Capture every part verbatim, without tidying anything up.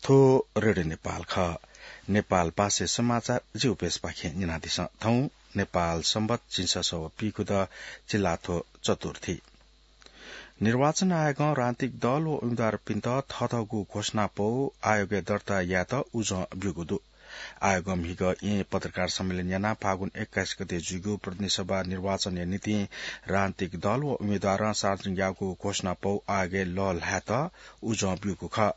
थ्व रेडियो नेपाल खः। नेपाल भाषाय् समाचार जिगु पेजपाखें न्यनादिसँ। थौं नेपाल संवत् झिंछसः व पीखुदँ, चिल्लाथ्व चतुर्थी। निर्वाचन आयोगं राजनीतिक दल व उम्मेदवारपिन्त थःथःगु घोषणापौ आयोगय् दर्ता यायेत उजं ब्यूगु दु। आयोगं म्हिगः येँ पत्रकार सम्मेलन यानाः फागुन एक्काइस गते जुइगु प्रतिनिधि सभा निर्वाचनया निंतिं राजनीतिक दल व उम्मेदवारं सार्वजनिक याःगु घोषणापौ आयोगय् लःल्हायेत उजं ब्यूगु खः।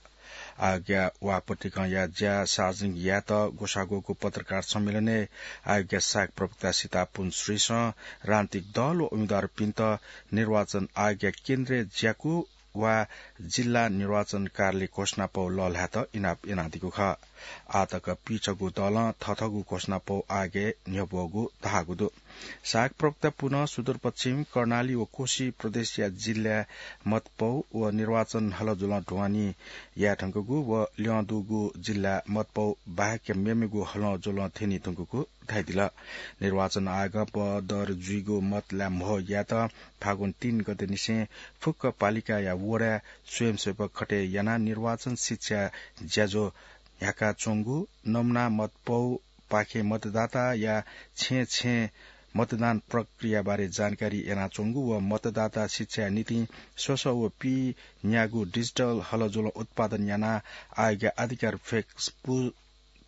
आयोगया वाकपत्रिकाया ज्या सार्वजनिक यायेत ग्वसाः ग्वःगु पत्रकार सम्मेलनय् आयोगया सहायक प्रवक्ता सीतापुन श्रेष्ठं राजनीतिक दल व उम्मेदवारपिन्त निर्वाचन आयोगया केन्द्रीय ज्याकू वा जिल्ला निर्वाचन कार्यालय घोषणापौ लःल्हायेत इनाप यानादीगु खः। आःतक पीछगू दलं थःथःगु घोषणापौ आयोगय् न्ह्यब्वःगु धाःगु दु। सहायक प्रवक्ता पुनं सुदूरपश्चिम, कर्णाली व कोशी प्रदेशया जिल्लाय् मतपौ व निर्वाचन हलजुलं ढुवानी याये धुंकूगु व ल्यं दुगु जिल्लाय् मतपौ बाहेक मेमेगु हलजुलं थ्यनी धुंकूगु धयादिल। निर्वाचन आयोगं बदर जुइगु मत लाये म्हो यायेत फागुन तीन गते निसें फुक्क पालिकाया वडाय् स्वयंसेवक खटे यानाः निर्वाचन शिक्षा ज्याझ्वः न्ह्याकाच्वंगु, नमुना मतपौ पाखें मतदाताया छेँ छेँ मतदान प्रक्रियाबारे जानकारी यानाच्वंगु व मतदाता शिक्षाया निंतिं स्वसः व पीन्यागू डिजिटल हलजुलं उत्पादन यानाः आयोगया आधिकारिक Facebook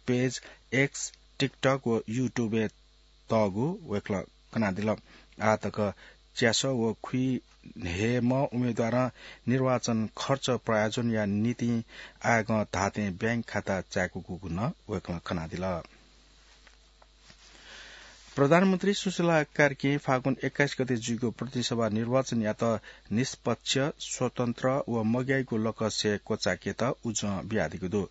पेज, X, TikTok व YouTube-य् तःगु वय्कलं कनादिल। आःतक च्यासः व खुइन्हय्म्ह उम्मेदवारं निर्वाचन खर्च प्रायोजनया निंतिं आयोगं धात्थें बैंक खाता चाय्कूगु नं वय्कलं कनादिल। प्रधानमन्त्री सुशीला कार्कीं फागुन एक्काइस गते जुइगु प्रतिनिधि सभा निर्वाचनयात निष्पक्ष, स्वतन्त्र व मग्याइगु लकसय् क्वचाय्केत उजं बियादीगु दु।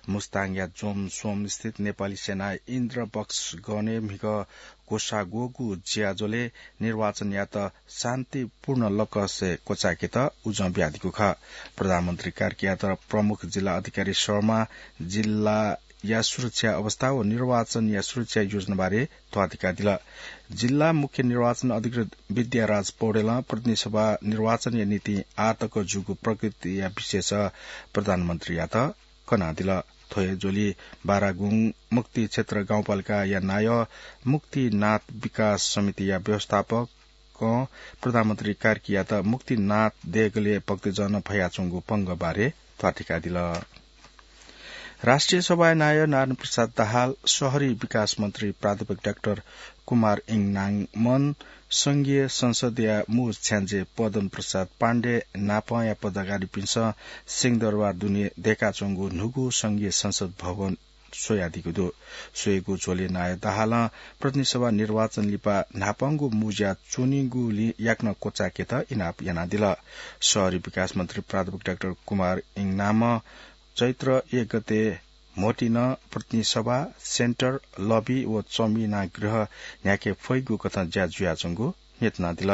मुस्ताङया जोमसोम स्थित नेपाली सेनाया इन्द्रबक्स गनय् म्हिगः ग्वसाः ग्वःगु ज्याझ्वलय् निर्वाचनयात शान्तिपूर्ण लकसय् क्वचाय्केत उजं बियादीगु खः। प्रधानमन्त्री कार्कीयात प्रमुख जिल्ला अधिकारी शर्मां जिल्लाया सुरक्षा अवस्था व निर्वाचनया सुरक्षा योजनाबारे ध्वाथुइकादिल। जिल्ला मुख्य निर्वाचन अधिकृत विद्याराज पौडेलं प्रतिनिधि सभा निर्वाचनया निंतिं आःतक जूगु प्रगतिया विषयस प्रधानमन्त्रीयात कनादिल। थ्व हे झ्वलय् बारागुं मुक्ति क्षेत्र गाउँपालिकाया नायः मुक्तिनाथ विकास समितिया व्यवस्थापकं प्रधानमन्त्री कार्कीयात मुक्तिनाथ देगलय् भक्तजनं फयाच्वंगु पंगः बारे ध्वाथुइकादिल। राष्ट्रिय सभाया नायः नारायण प्रसाद दाहाल, शहरी विकास मन्त्री प्राध्यापक डाक्टर कुमार इङनामन, संघीय संसदया मू छ्याञ्जे पदम प्रसाद पाण्डे नापंया पदाधिकारीपिन्सं सिंहदरबार दुने दय्काच्वंगु न्हूगु संघीय संसद भवन स्वयादीगु दु। स्वयेगु झ्वलय् नायः दाहालं प्रतिनिधि सभा निर्वाचन लिपा न्हापांगु मू ज्या च्वनीगुलिं याकनं क्वचाय्केत इनाप यानादिल। शहरी विकास मन्त्री प्राध्यापक डाक्टर कुमार इङनामं चैत्र एक गते म्होतिं नं प्रतिनिधि सभा, सेन्टर, लबी व चमिना गृह न्ह्याके फइगु कथं ज्या जुयाच्वंगु न्ह्यथनादिल।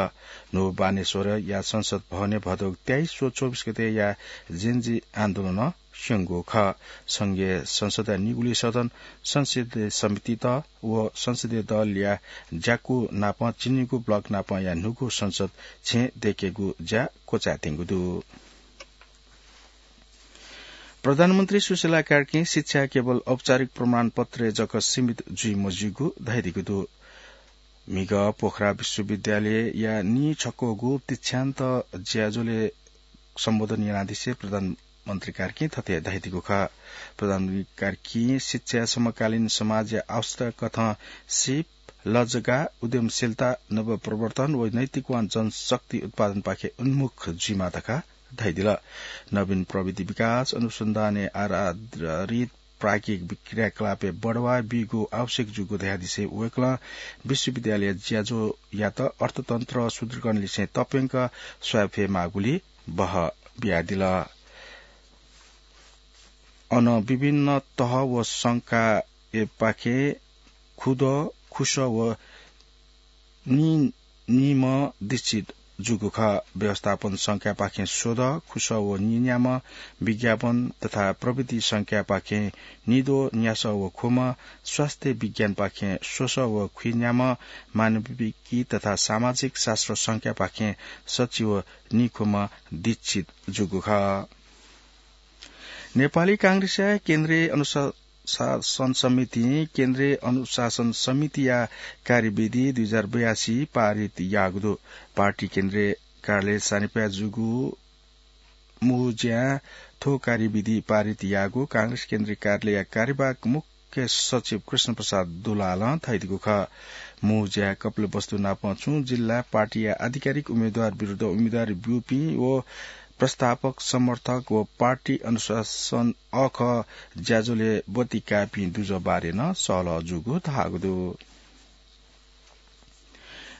न्हू बानेश्वरया संसद भवनय् भदौ तेइस व चौबिस गतेया जेनजी आन्दोलनं स्यंगु खः। संघीय संसदया निगुलिं सदन, संसदीय समितित व संसदीय दलया ज्याकू नापं झिंनिगू ब्लक नापंया न्हूगु संसद छेँ दय्केगु ज्या क्वचायेत्यंगु दु। प्रधानमन्त्री सुशीला कार्कीं शिक्षा केवल औपचारिक प्रमाणपत्रय् जक सीमित जुइ मज्यूगु धयादीगु दु। म्हिगः पोखरा विश्वविद्यालयया नीछक्वःगु दीक्षान्त ज्याझ्वलय् सम्बोधन यानादिसें प्रधानमन्त्री कार्कीं थथे धयादीगु खः। प्रधानमन्त्री कार्कीं शिक्षा समकालीन समाजया आवश्यकता कथं सिप, लजगाः, उद्यमशीलता, नवप्रवर्तन व नैतिकवान जनशक्ति उत्पादनपाखे उन्मुख जुइमाः धकाः धयादिल। नवीन प्रविधि विकास, अनुसन्धानय् आधारित प्राज्ञिक क्रियाकलापय् बढावा बीगु आवश्यक जूगु धयादिसें वय्कलं विश्वविद्यालय ज्याझ्वःयात अर्थतन्त्र सुदृढीकरण लिसें तप्यंक स्वाये फयेमाःगुली बहः बियादिल। अन विभिन्न तह व संकायपाखें खुदँ, खुसः व नीनिम्ह दीक्षित जूगु खः। व्यवस्थापन संकायपाखें स्वदँ, खुसः व नीन्याम्ह, विज्ञापन तथा प्रविधि संकायपाखें निद्वः, न्यासः व ख्वम्ह, स्वास्थ्य विज्ञानपाखें स्वसः व खुइन्याम्ह, मानविकी तथा सामाजिक शास्त्र संकायपाखें सच्छि व नीख्वम्ह दीक्षित जूगु खः। नेपाली कांग्रेसया केन्द्रीय अनुशासन समितिं केन्द्रीय अनुशासन समितिया कार्यविधि दुई हजार बयासी पारित याःगु दु। पार्टी केन्द्रीय कार्यालय सानिपाय् जूगु मुहुज्यां थ्व कार्यविधि पारित याःगु कांग्रेस केन्द्रीय कार्यालयया कार्यवाहक मुख्य सचिव कृष्ण प्रसाद दुलालं धयादीगु खः। मुहुज्यां कपिलवस्तु नापं छुं जिल्ला पार्टीया आधिकारिक उम्मेद्वार विरुद्ध उम्मेद्वारी ब्यूपिं व प्रस्तावक, समर्थक व पार्टी अनुशासन अःखः ज्याझ्वलय् ब्वति काःपिं दुजः बारे नं सहलह जूगु धाःगु दु।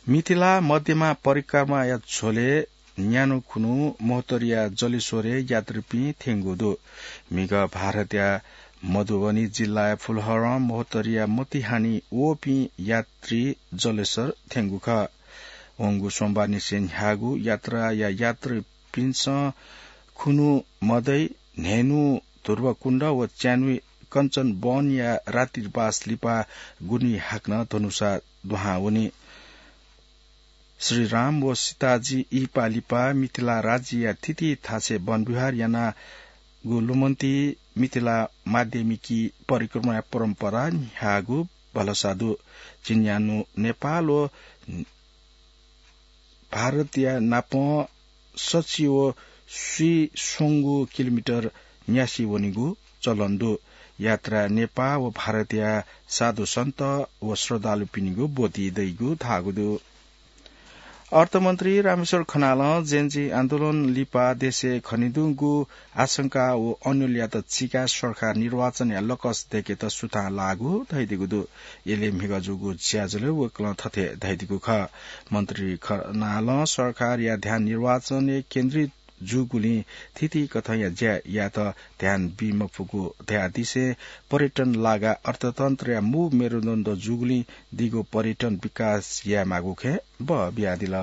मिथिला मध्यमा परिक्रमाया झ्वलय् न्यान्हु खुन्हु महोत्तरीया जलेश्वरय् यात्रीपिं थ्यंगु दु। म्हिगः भारतया मधुबनी जिल्लाया फुलहरं महोत्तरीया मोतिहानी वःपिं यात्री जलेश्वर थ्यंगु खः। वंगु सोमबारनिसें न्ह्याःगु यात्राया यात्रीपिन्सं खुन्हु मदय् न्हय्न्हु ध्रुवकुण्ड व च्यान्हु कञ्चन वनया रात्रिवास लिपा गुन्हु हाकनं धनुषा दुहां वनी। श्री राम व सीताजी इहिपा लिपा मिथिला राज्यया थीथी थासय् वनविहार यानागु लुमन्ति मिथिला माध्यमिकी परिक्रमाया परम्परा न्ह्याःगु भलसा दु। झिंन्यान्हु नेपाल व भारतया नापं सछि व स्वीस्वंगू किलोमिटर न्यासि वनीगु चलन दु। यात्रा नेपाल व भारतया साधु सन्त व श्रद्धालुपिनिगु ब्वति दइगु धाःगु दु। अर्थमन्त्री रामेश्वर खनालं जेन्जी आन्दोलन लिपा देशय् खनेदुगु आशंका व अन्योलयात चीकाः सरकार निर्वाचनया लकस दय्केत सुथां लाःगु धयादीगु दु। यलय् म्हिगः जूगु ज्याझ्वलय् वय्कलं थथे धयादीगु खः। मन्त्री खनालं सरकारया ध्यान निर्वाचनय् केन्द्रित जूगुलिं थीथी कथंया ज्या यायेत ध्यान बी मफुगु धयादिसें पर्यटन लागा अर्थतन्त्रया मू मेरुदण्ड जूगुलिं दिगो पर्यटन विकास यायेमाःगु खँय् बः बियादिल।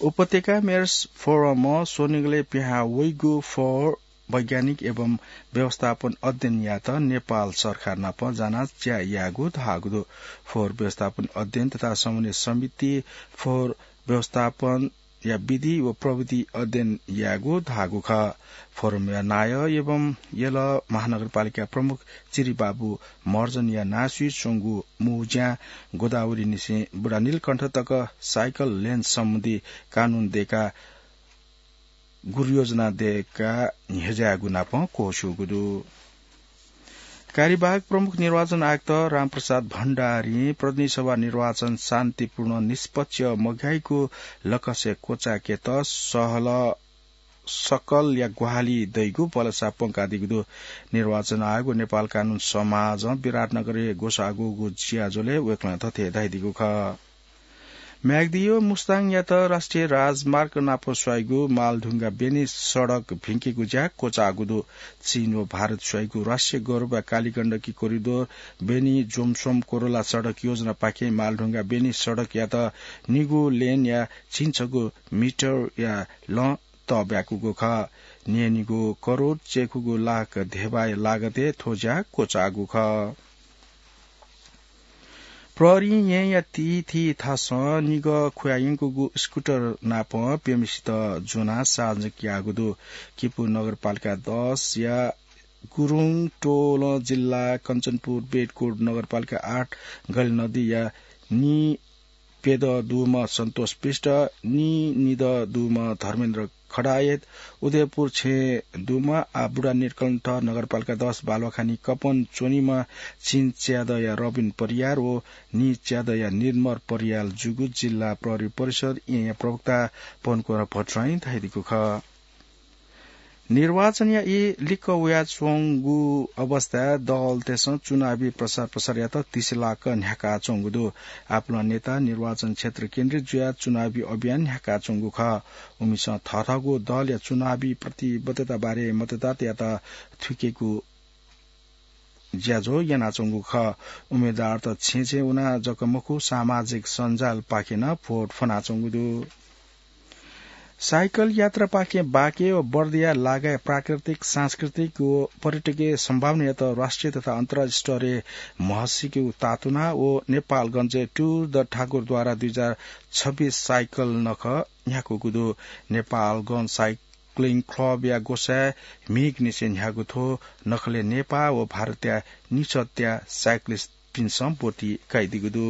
उपत्यका मेयर्स फोरमं स्वनिगलय् पिहां वइगु फोहोर वैज्ञानिक एवं व्यवस्थापन अध्ययन यायेत नेपाल सरकार नाप जानाच्वया यायेगु धाःगु दु। फोहोर व्यवस्थापन अध्ययन तथा समन्वय समिति फोहोर व्यवस्थापनया विधि व प्रविधि अध्ययन यायेगु धाःगु खः। फोरमया नायः एवं यल महानगरपालिका प्रमुख चिरिबाबु महर्जनया नांसुइ च्वंगु मुहुज्यां गोदावरीनिसें बुढानीलकण्ठ तक साइकल लेन सम्बन्धी कानून दयेकाः गुरुयोजना दयेकाः न्ह्यज्याःगु नाप क्वःछ्यूगु दु। कार्यवाहक प्रमुख निर्वाचन आयुक्त रामप्रसाद भण्डारीं प्रतिनिधि सभा निर्वाचन शान्तिपूर्ण निष्पक्ष मघाइगु लकसय् क्वचायेकेत सहल सकलया ग्वाहालि दइगु भलसा प्वंकादीगु दु। निर्वाचन आयोग व नेपाल कानून समाजं विराटनगरय् ग्वसाःगु ज्याझ्वलय् वय्कलं थथे धयादीगु खः। म्याग्दी व मुस्ताङयात राष्ट्रिय राजमार्ग नाप स्वाइगु मालढुङ्गा बेनी सडक भिंकेगु ज्या क्वचाःगु दु। चीन व भारत स्वाइगु राष्ट्रिय गौरवया कालीगण्डकी कोरिडोर बेनी जोमसोम कोरोला सडक योजनापाखें मालढुङ्गा बेनी सडकयात निगू लेनया झिंछगू मिटरया लं तःब्याकूगु खः। न्यय्निगू करोड चय्खुगू लाख धेबाया लागतय् थ्व ज्या क्वचाःगु खः। प्रहरीं येँया थीथी थासं निगः खुयायंकूगु स्कुटर नाप प्यम्हेसित ज्वनाः सार्वजनिक याःगु दु। किपू नगरपालिका दसया गुरुङ टोलं जिल्ला कञ्चनपुर बेडकोट नगरपालिका आठ गैलनदीया नी प्यदँ दुम्ह सन्तोष विष्ट, नी निदँ दुम्ह धर्मेन्द्र खडायत, उदयपुर छेँ दुम्ह आ बुढानीलकण्ठ नगरपालिका दस बालुवाखानी कपन च्वनीम्ह झिंच्यादँया रबिन परियार व नीच्यादँया निर्मल परियार जूगु जिल्ला प्रहरी परिषद येँया प्रवक्ता पनकुमार भट्टराईं धयादीगु खः। निर्वाचनया ई लिक्क वयाच्वंगु अवस्थाय् दलतय्सं चुनावी प्रचार प्रसारयात तिसिलाक न्ह्याकाच्वंगु दु। आपालं नेता निर्वाचन क्षेत्र केन्द्रित जुयाः चुनावी अभियान न्ह्याकाच्वंगु खः। उमिसं थःथःगु दलया चुनावी प्रतिबद्धता बारे मतदातायात थुइकेगु ज्याझ्वः यानाच्वंगु खः। उम्मेद्वारत छेँछेँ वनाः जक मखु, सामाजिक सञ्जालपाखें नं भोट फ्वनाच्वंगु दु। साइकल यात्रापाखें बाँके व बर्दिया लागाय् प्राकृतिक, सांस्कृतिक व पर्यटकीय सम्भावनायात राष्ट्रिय तथा अन्तर्राष्ट्रिय स्तरय् म्हसीकेगु तातुना व नेपालगञ्जय् टुर द ठाकुरद्वारा दुई हजार छब्बीस साइकल नखः न्ह्याकूगु दु। नेपालगञ्ज साइ-, साइक्लिङ क्लबया ग्वसाय् म्हिगःनिसें न्ह्याःगु थ्व नखलय् नेपाः व भारतया निसत्या साइक्लिस्टपिन्सं ब्वति काइदीगु दु।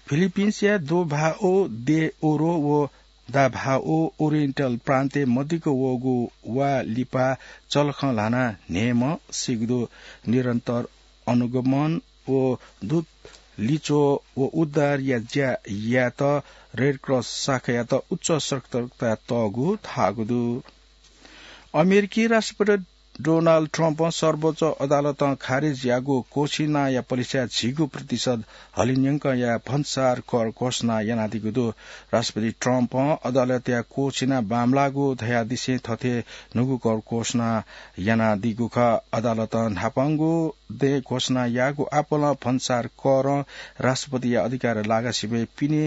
फिलिपिन्सया दोभाओ दे ओरो व दाभाओ ओरिएन्टल प्रान्तय् मदिक्क वःगु वा लिपा चलखं ल्हानाः न्हय्म्ह सीगु दु। निरन्तर अनुगमन व दूत लिच्वः व उद्धारया ज्या यायेत रेड क्रस शाखायात उच्च सतर्कता तःगु धाःगु दु। अमेरिकी राष्ट्रपति डोनाल्ड ट्रम्पं सर्वोच्च अदालतं खारेज याःगु कोसिनाया पलिस्याय् झिगू प्रतिशत हलिंन्यंकया भन्सार कर घोषणा यानादीगु दु। राष्ट्रपति ट्रम्पं अदालतया कोसिना बांमलाःगु धयादिसें थथे न्हूगु कर घोषणा यानादीगु खः। अदालतं न्हापांगु दँय् घोषणा याःगु आपालं भन्सार करं राष्ट्रपतिया अधिकार लागासिबय् पिने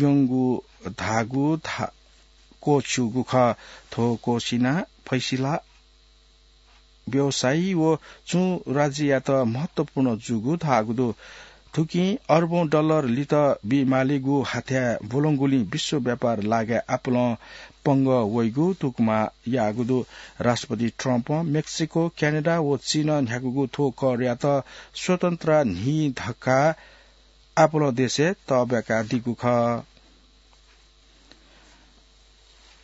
यंगु धाःगु धा-, क्वःछ्यूगु खः। थ्व कोसिना फैसला व्यवसायी व चुं राज्ययात महत्वपूर्ण जूगु धाःगु दु। थुकिं अर्बौं डलर लित बीमालीगु हाथ्याः ब्वलंगुलिं विश्व व्यापार लागाय् आपालं पंगः वइगु तुकमा याःगु दु। राष्ट्रपति ट्रम्पं मेक्सिको, क्यानाडा व चीनं न्ह्याकूगु थ्व करयात स्वतन्त्र न्हि धकाः आपालं देशय् तःब्याकादीगु खः।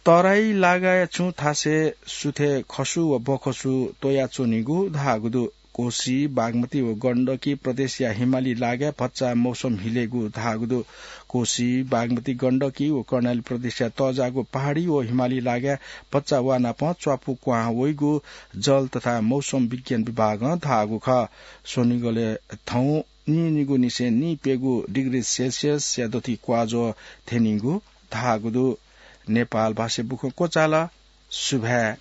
तराई लागाय् छुं थासय् सुथय् खसु व बखसु त्वयाच्वनीगु धाःगु दु। कोसी, बागमती व गण्डकी प्रदेशया हिमाली लागाय् भचा मौसम हिलेगु धाःगु दु। कोसी, बागमती, गण्डकी व कर्णाली प्रदेशया तःजाःगु पहाडी व हिमाली लागाय् भचा वा नाप च्वापु क्वहां वइगु जल तथा मौसम विज्ञान विभागं धाःगु खः। स्वनिगलय् थौं नीनिगुनिसें नीप्यगु डिग्री सेल्सियसया दथुइ क्वाज्वः थ्यनीगु धाःगु दु। नेपाल भाषा बुखँ क्वचाल। सुभाय्।